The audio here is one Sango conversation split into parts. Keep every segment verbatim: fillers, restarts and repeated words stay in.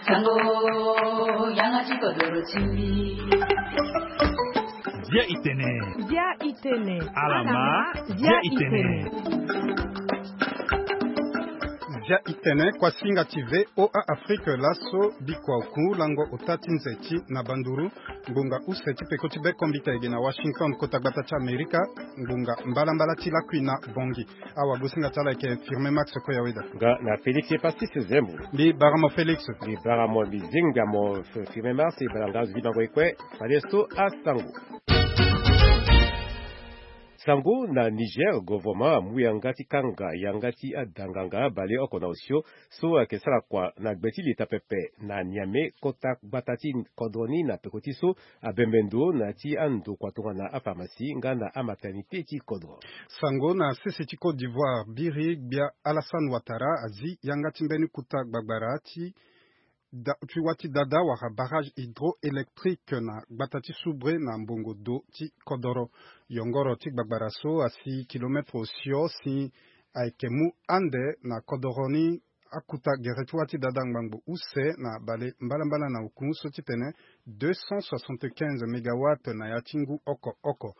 Sango, yanga ti kodoro ti mbi. Bia itene. Bia itene. Alama. Bia itene. Bia itene, kuasinga ti V O A Afrique, laso bikua oku lango ota ti nze ti na banduru. Ngbonga use ti peko ti be kombita ege na Washington, kota gbata ti Amerika. Ngbonga mbalambala ti lakui na Bongi. Awagosinga ti ala ayeke Firme Max Koyaweda. Nga na Félix Epasis Zembo. Mbi bara mo Félix. Mbi bara mo, mbi zinga mo F-, Firme Max, e bara nga azo ti bango e kue. Fade so asango. Sango na Niger, gouvernement amu yanga ti kanga yanga ti adanganga baleoko na osio so ayeke sara kua na gbe ti leta pepe na Niamey, kota gbata ti kodro ni, na peko ti so abembe ndo na ya ti andokua tongana apharmacie nga na amaternité ti kodro. Sango na sese ti Côte d'Ivoire, biri gbia Alassane Ouattara azi yanga ti mbeni kuta gbagbara ti da-, ti wâ ti dada wala barrage hydroélectrique na gbata ti Soubré na mbongo do ti kodoro. Yongoro ti gbagbara so asi kilomètre osio si ayeke mu ande na kodoro ni akuta gere ti wâ ti dada ngbangbo use na bale mbalambala na oku so ti tene deux cent soixante-quinze mégawatts na ya ti ngu oko oko.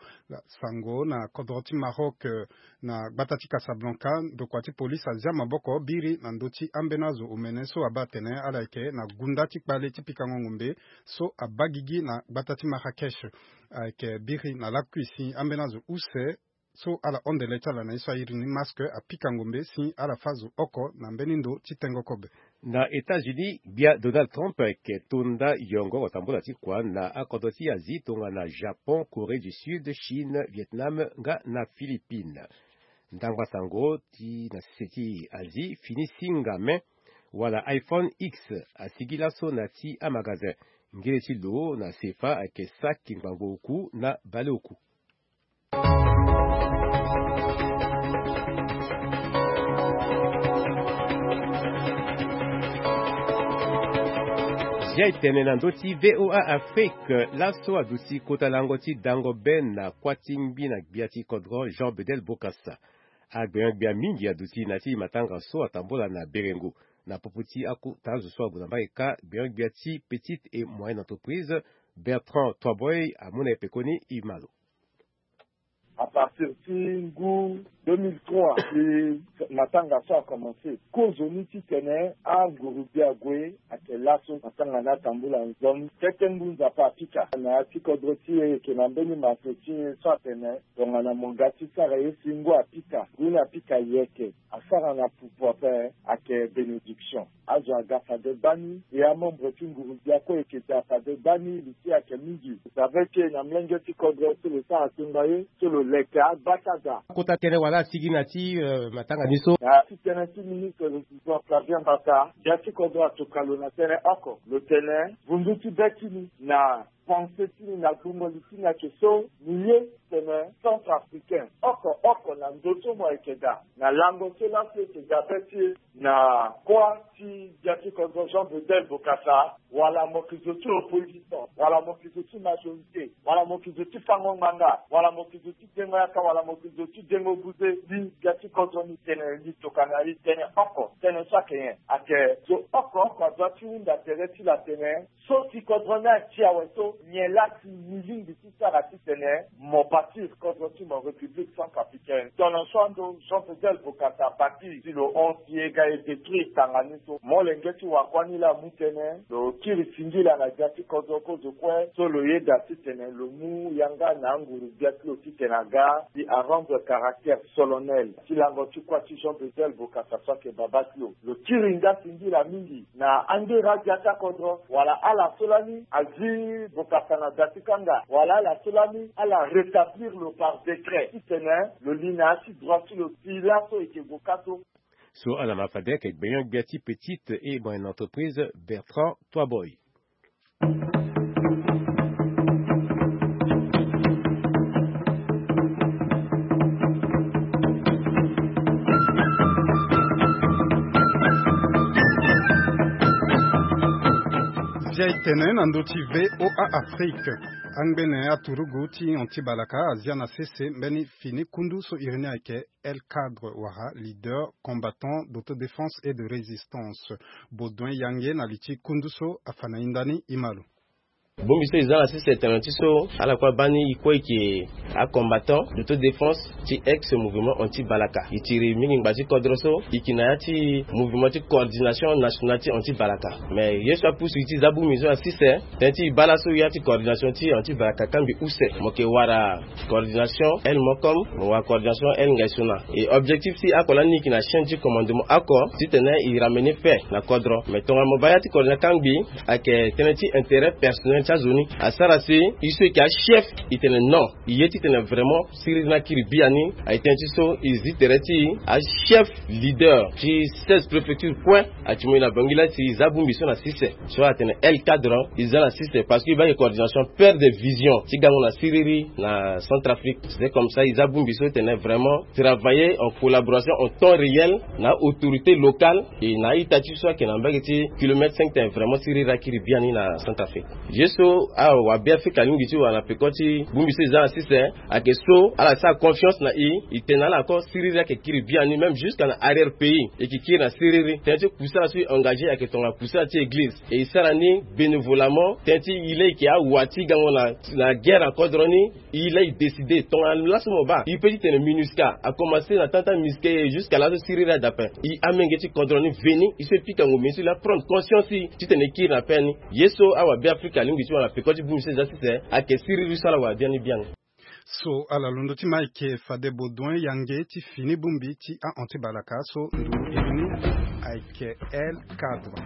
Sango na kodro ti Maroc, eh, na gbata ti Casablanca, ndokua ti polise azia maboko biri na ndö ti ambeni azo omene so abaa atene ala yeke na gunda ti kpale ti pikango ngombe so abaa gigi na gbata ti Marrakech. Ayeke biri na lakui si ambeni azo use so ala hon ndele ti ala na ye so a iri ni masque apika ngombe si ala fâ zo oko na mbeni ndo ti tengo kobe. Na États-Unis, gbia Donald Trump ayeke to nda yongoro tambula ti kua na akodro ti Asie tongana Japon, Corée du Sud, Chine, Vietnam nga na Philippines. Ndangba sango ti na sese ti Asie fini singa me wala iPhone X asigi laso na ya ti amagazin. Ngele ti lo na sefa ayeke saki ngbangbo oku na baleoku. Zia etene na ndö ti V O A Afrique, laso aduti kota lango ti dango be na kuâ ti ngbi na gbia ti kodro Jean Bedel Bokassa. Agbenyo-gbia mingi aduti na ya ti matanga so atambula na Berengo. Na popo ti akota azo so ague na mbage kâ, gbenyo-gbia ti Petite et Moyenne Entreprise, Bertrand Toiboy, amu na e pekoni e ma lo. À partir ti ngu deux mille trois ti matanga so akomanse, kozoni titene anguru-gbia ague ayeke laso. Matanga ni atambula nzoni tete ngu Nzapa apika. Na ya ti kodro ti e, e yeke na mbeni masse ti e so atene tongana mo ga ti sara ye si ngu apika, ngu ni apika yeke. Asara na pupu ape ayeke bénédiction. Azo aga fade gbani, e amembre ti nguru-gbia kue e yeke daa fade gbani, li ti e ayeke mingi. Lo save ti e na molenge ti kodro so lo sara tongaye so lo leke agba ti ada. Kota tënë wala asigi na ya ti, euh, matanga ni so. Na ya ti tënë ti ministre lo Flavien Mbaka, gbia ti kodro atoka lo na tënë oko. Lo tene vundu ti be ti ni na pensée ti ni na gbungo li ti ni ayeke so, ni ye tene centrafricain oko oko na ndo so mo yeke daa, na lango so laso e yeke daa be ti e na kuâ ti gbia ti kodro Jean Bedel Bokassa, wala mo yeke zo ti opposition, wala mo yeke zo ti majorité, wala mo yeke zo ti fango ngbanga, wala mo yeke zo ti dengo yaka, wala mo yeke zo ti dengo buze, li gbia ti kodro ni tene li tokana li tene oko, tënë so ayeke nyen? Ayeke zo oko oko adoit ti hunda tere ti lo atene so si kodro ni ati awe so, nyen laa si ni lingbi ti sara titene mo bâtir kodro ti mo République Centrafricaine? Tongana so ando Jean Bedel Bokassa abâtir si lo hon si e ga e détruire tanga ni so, molenge ti wakuâ ni laa amu tënë, lo kiri singila na gbia ti kodro kozo kue so lo yeda titene lo mu yanga na anguru-gbia ti lo titene aga si a rendre caractère solennel ti lango ti kuâ ti Jean Bedel Bokassa so ayeke babâ ti lo. Lo kiri nga singila mingi na angera gbia ti akodro, wala ala so lani azi Bokassa na da ti kanga, wala ala so lani ala rétablir lo par décret titene lo li na ya ti droit ti lo ti laso e yeke gue kâ so. So ala ma fade ayeke gbenyo-gbia ti Petite et Moyenne Entreprise, Bertrand Toiboy. Zia etene na ndö ti V O A Afrique. Angbene aturugu ti Anti Balaka azia na sese mbeni fini kundu so iri ni ayeke El Cadre wala leader combattant d'autodéfense et de résistance. Baudouin Yange na li ti kundu so afa na hinda ni, e ma lo. Bongbi so e za na sese tene ti so ala kue abaa ni e kue e yeke acombattant d'autodéfense ti ex mouvement Anti Balaka. E tiri mingi ngba ti kodro so e yeke na ya ti mouvement ti coordination nationale ti Anti Balaka. Mais ye so apusu e ti za bongbi so na sese tene ti e baa laso ya ti coordination ti Anti Balaka kangbi use, mo yeke wara coordination El Mokom, mo wara coordination El Ngaisona. E objectif ti oko lani e yeke na chaîne ti commandement oko titene e ramener paix na kodro. Mais tongana mo baa ya ti coordination kangbi ayeke tënë ti intérêt personnel ti azo ni. Asara si e so e yeke achef e tene non, e ye titene vraiment siriri ni akiri biani. Aye tënë ti so e zi tere ti achef leader ti seize préfecture kue. Ayeke ti mo e na bangila ti e za bongbi so na sese so atene El Cadre, e za na sese parce que e baa ayeke coordination père de vision ti gango na siriri na Centrafrique. C'est comme ça e za bongbi so tene vraiment travailler en collaboration en temps réel na autorité locale et na a-ita ti so ayeke na mbage ti kilomètre cinq tene vraiment siriri akiri biani na Centrafrique. Ye so awabeafrika alingbi ti wara na peko ti bongbi so e za na sese ayeke so ala sara confiance na e, e tene na ala oko siriri ayeke kiri biani, même jusqu'à na arrière pays e yeke kiri na siriri. Tënë ti kusala so e engagé ayeke tongana kusala ti église, e e sara ni bénévolamment. Tënë ti e laa e yeke awa ti gango na, na guerre na kodro ni. E laa e décidé tongana laso mo baa e peut titene MINUSCA akomanse na temps ti MINUSCA jusqu'à laso siriri adape. E amolenge ti kodro ni veni, e so e pika ngombe ni so e laa prendre conscience titene e kiri na paix ni. Ye so awabeafrika alingbi ti wara na peko ti bongbi so e za sese ayeke siriri so ala wara biani biani. So ala londo ti ma ayeke fade Baudouin Yange ti fini bongbi ti a-Anti Balaka so nduru iri ni ayeke El Cadre.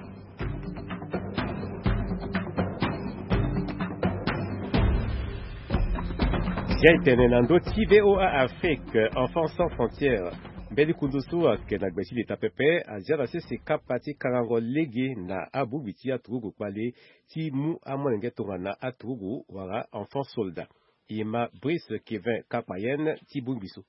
Zia e tene na ndö ti V O A Afrique, Enfants Sans Frontières, mbeni kundu so ayeke na gbe ti leta pepe azia na sese kapa ti kangango lege na abongbi ti aturugu kpale ti mu amolenge tongana aturugu wala enfant soldat. E ma Brice Kevin Kakpayen ti bongbi so.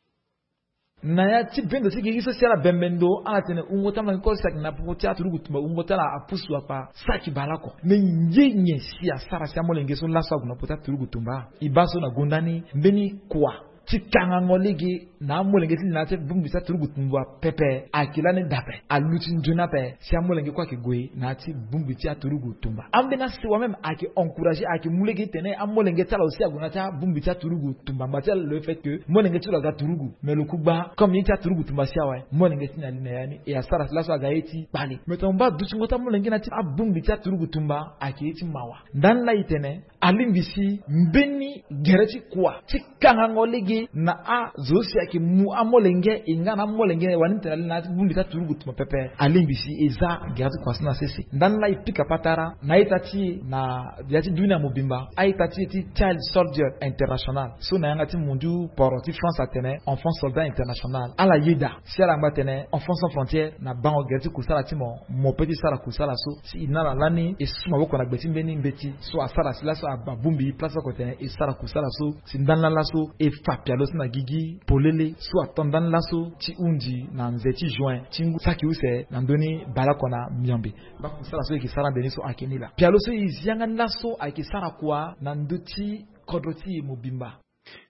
Na ya ti bendo ti gigi so si ala bembe ndo ala tene wungo ti amolenge kue si ayeke na popo ti aturugu tumba wungo ti ala apusu akpa saki baleoko. Me nyen nyen si asara si amolenge so laso ague na popo ti aturugu tumba? E baa so na gonda ni mbeni kua ti kangango lege na amolenge ti li na ya ti bongbi ti aturugu tumba pepe ayeke lani dape. Aluti nzoni ape si amolenge kue ayeke gue na ya ti bongbi ti aturugu tumba. Ambeni asewa même ayeke encouragé, ayeke mu lege titene amolenge ti ala aussi ague na ya ti abongbi ti aturugu tumba ngba ti ala, le fait que molenge ti lo aga turugu. Mais lo ku gba comme ye ti aturugu tumba si awe, molenge ti ni ali na ya ni. E asara si laso aga ye ti kpale. Mais tongana mo baa dutingo ti amolenge na ya ti abongbi ti aturugu tumba ayeke ye ti mawa. Ndani laa e tene alingbi si mbeni gere ti kua ti kangango lege na azo so si ayeke mu amolenge e nga na amolenge wani tene ali na ya ti bongbi ti aturugu tumba pepe. Alingbi si e za gere ti kua so na sese. Ndani laa e pika patara na a-ita ti e na ya ti dunia mobimba, a-ita ti e ti Child Soldier International so na yanga ti mondiu poro ti France atene enfant soldat international. Ala yeda si ala ngba tene Enfants Sans Frontières na bango gere ti kusala ti mo, mo peut ti sara kusala so. Si e na ala lani e su maboko na gbe ti mbeni mbeti so asara si laso abongbi place oko tene e sara kusala so. Si ndani laa laso e fa pialo so na gigi polele so ato ndani laso ti hunzi na nze ti juin ti ngu saki use na ndö ni baleoko na miombe. Baa kusala so e yeke sara mbeni so ayeke ni laa. Pialo so e zi yanga ni laso ayeke sara kua na ndö ti kodro ti e mobimba.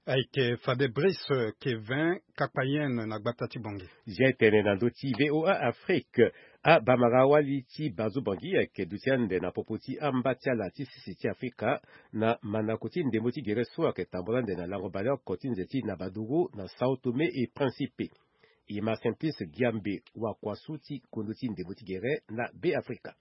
Ayeke fade Brice Kevin Kakpayen na gbata ti Bangui. Zia e tene na ndö ti V O A Afrique, abamara-wali ti Bazo Bangui ayeke duti ande na popo ti amba ti ala ti sese ti Afrika na mandako ti ndembo ti gere so ayeke tambula ande na lango baleoko ti nze ti Nabaduru na Sao Tome et Principe. E ma Simplice Giambe, wakua so ti kondo ti ndembo ti gere na Beafrika.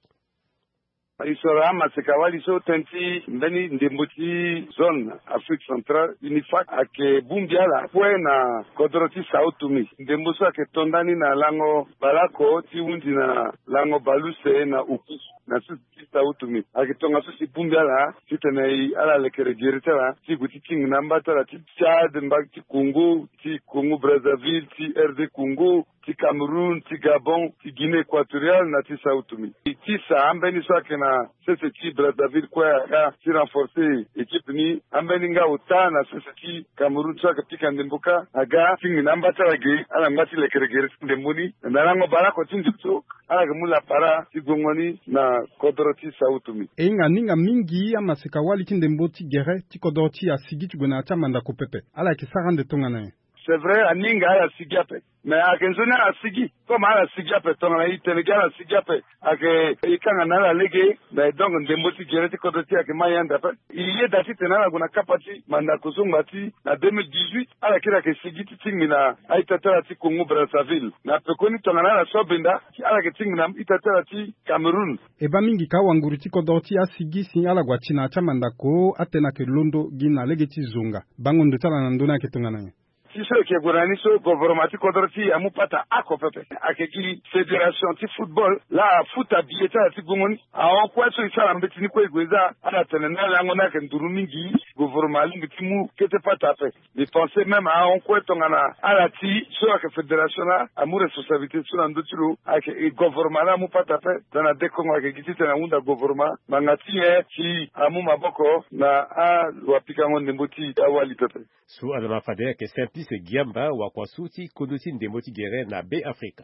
E soro amaseka-wali so tënë ti mbeni ndembo ti zone Afrique Centrale, UNIFAC, ayeke bongbi ala kue na kodro ti Sao Tome. Ndembo so ayeke to ndani na lango baleoko ti hunzi na lango baleuse na oku na sese ti Sao Tome. Ayeke tongaso si bongbi ala titene ala lekere gere ti ala ti gue ti tingi na amba ti ala ti Tchad, mbage ti Congo, ti Congo Brazzaville, ti R D Congo, ti Cameroun, ti Gabon, ti Guinée Équatoriale na ti Sao Tome. E ti sa ambeni so ayeke na sese ti Brazzaville kue aga ti renforcer équipe ni. Ambeni nga ota na sese ti Cameroun so ayeke pika ndembo kâ aga ti ngi na amba ti ala ge, ala ngba ti lekere gere ti ndembo ni. Na lango baleoko ti nze so ala yeke mu lapara ti guengo ni na kodro ti Sao Tome. E hinga aninga mingi amaseka wali ti ndembo ti gere ti kodro ti e asigi ti gue na ya ti amandako pepe. Ala yeke sara ande tongana nyen? C'est vrai, aninga ala sigi ape. Mais ayeke nzoni ala sigi. Comme ala sigi ape, tongana e tene gi ala sigi ape, ayeke e kanga na ala lege. Mais donc ndembo ti gere ti kodro ti e ayeke ma e ande ape. E yeda titene ala gue na kapa ti mandako so ngba ti na deux mille dix-huit, ala kiri ayeke sigi ti tingbi na a-ita ti ala ti Congo Brazzaville. Na pekoni tongana ala so abenda, ala yeke tingbi na ita ti ala ti Cameroun. E baa mingi ka awanguru ti kodro ti e asigi si ala gue ati na ya ti amandako, atene ayeke londo gi na lege ti zonga. Bango ndo ti ala na ndö ni ayeke tongana nyen? Ti so e yeke gue na ni so, govoroma ti kodro ti e amu pata oko pepe. Ayeke gi fédération ti football laa afuta biye ti ala ti gongo ni. Ahon kue so e sara mbeti ni kue e gue za, ala tene na lango ni ayeke nduru mingi. Govoroma alingbi ti mu kete pata ape. Mbi pense même ahon kue tongana ala ti so ayeke fédération laa amu responsabilité so na ndö ti lo, ayeke e govoroma laa amu pata ape. Tongana dekongo ayeke gi titene ahunda govoroma ngbanga ti nyen si amu maboko na alo apikango ndembo ti awali pepe. So ala ma fade ayeke Simplice Giamba, wakua so ti kodro ti ndembo ti gere na Be Afrika.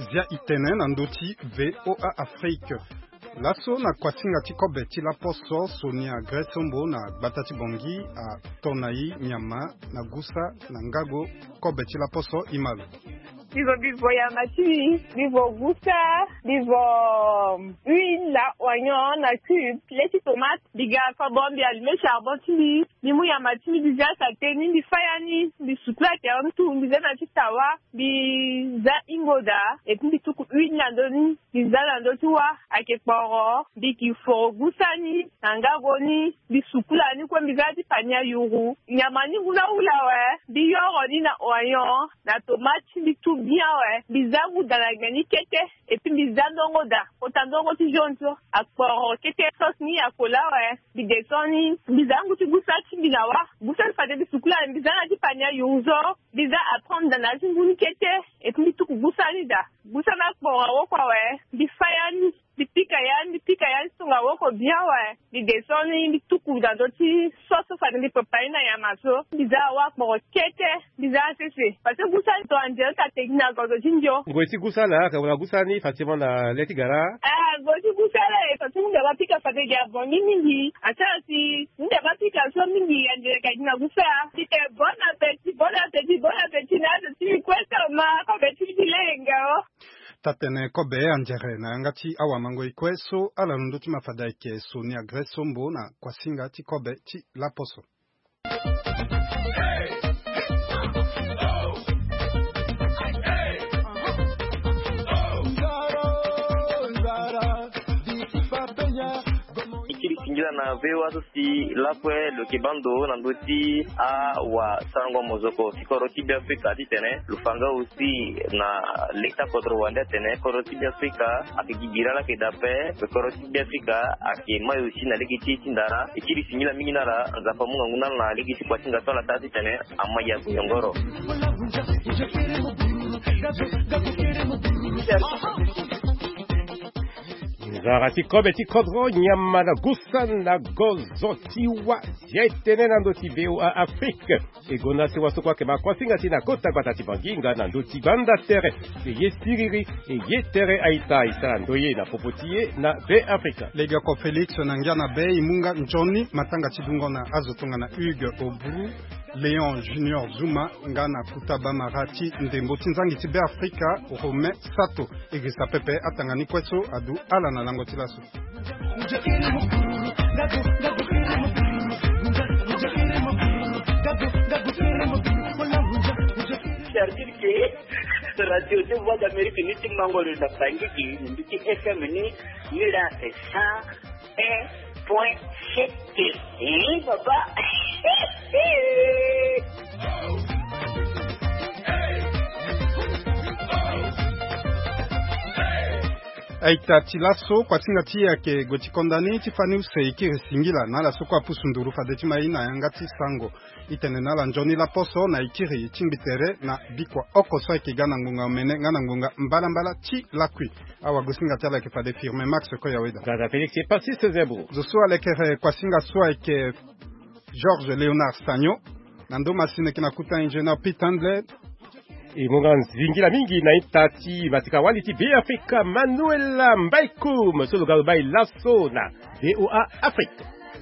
Zia e tene na ndö ti V O A Afrique. Laso na kuasinga ti kobe ti laposo, Sonia Grace Sombo na gbata ti Bangui ato na e nyama na gusa na ngago kobe ti laposo. E ma lo. Mbi vo, mbi vo yama ti mbi, mbi vo gusa, mbi vo huile, oignon na cube, le ti tomate. Mbi ga kobo, mbi allume charbon ti mbi, mbi mu yama ti mbi, mbi zia sate ni, mbi faya ni, mbi sukula tere ni tout, mbi zia na ti tawa, mbi zia hingo daa, et puis mbi tuku huile na ndö ni, mbi zia na ndö ti wâ, ayeke kporo, mbi ki foro gusa ni na ngago ni, mbi sukula ni kue, mbi zia ti pania yuru. Nyama ni ngu na hula awe, mbi yoro ni na oignon na tomate, mbi tu bien awe, mbi zia ngu daa na gbe ni kete, et puis mbi zia ndongo daa, kota ndongo ti jaune so, akporo kete, sauce ni akola awe, mbi descend ni, mbi zia ngu ti gusa ti mbi na wâ, gusa ni fade mbi sukula, mbi zia na ti pania yuru so, mbi zia apprendre daa na ti ngu ni kete, et puis mbi tuku gusa ni daa. Gusa ni akporo awoko awe, mbi faya ni, mbi pika ya ni, mbi pika ya ni tonga awoko bien awe. Mbi descend ni, mbi tuku na ndö ti sauce so fade mbi prépare ni na nyama so. Mbi zia awâ akporo kete, mbi zia asese. Parce que gusa ni tongana nzere ni ta tegi na gozo ti ndio. Ngoi ti gusa laa, ayeke wala gusa ni facilement na le ti gara? Ah, ngoi ti gusa laa, e facilement mbi abaa pika fade gi abongi mingi. Asara si mbi abaa pika so mingi, anzere ka gi na gusa. Mbi tene bon appétit, bon appétit, bon appétit na azo ti mbi kue so ma kobe ti mbi ti lenge o. Taa-tene kobe anzere na yanga ti awamangoi kue so ala londo ti ma fade ayeke Sonia Grace Sombo na kuasinga ti kobe ti laposo. E kiri singila na V O A so si lakue lo yeke baa ndo na ndö ti awasarango mozoko ti kodro ti Beafrika titene lo fa nga aussi na leta kodro wande atene kodro ti Beafrika ayeke gi bira laa ayeke daa ape. Kodro ti Beafrika ayeke mai aussi na lege ti e ti ndara. E kiri singila mingi na ala, Nzapa amu ngangu na ala na lege ti kuasinga so ala sara titene amai ague yongoro. Nzara ti kobe ti kodro, nyama na gusa na gozo ti wâ. Zia e tene na ndö ti V O A Afrique. E gonda sewa so kue ayeke ma kuasinga ti e na kota gbata ti Bangui nga na ndö ti gbanda tere. E ye siriri, e ye tere a-ita, e sara ndoye na popo ti e na Be Afrika. Legeoko Félix na ngia na be, e mu nga nzoni matanga ti dungo na azo tongana Hugues Obru, Léon Junior Zuma, nga na Kuta Bamara ti ndembo ti nzangi ti Be Afrika, Romain Sato. E girisa pepe atanga ni kue so adu ala na lango ti laso. C'est-à-dire que Radio de Voix d'Amérique ni ti mango lo na Bangui, ni ti F M ni, ni la c'est cent un point sept. Eh, papa. A-ita, ti laso kuasinga ti e ayeke gue ti konda ni ti fani use. E kiri singila na ala so kue apusu nduru fade ti ma e na yanga ti sango. E tene na ala nzoni laposo na e kiri e tingbi tere na bikua oko so ayeke ga na ngonga omene nga na ngonga mbalambala ti lakui. Awagosinga ti ala ayeke fade Firmin Max Koyaweda. Gaza Félix et Passis Zebro. Zo so alekere kuasinga so ayeke Georges Léonard Sagno. Na ndo masine ke na kuta ingénieur Pitandle. E mo nga nzingila mingi na ita ti matika wali ti Be Afrika Manuela Mbaikum so lo ga lo bai laso na V O A Afrique.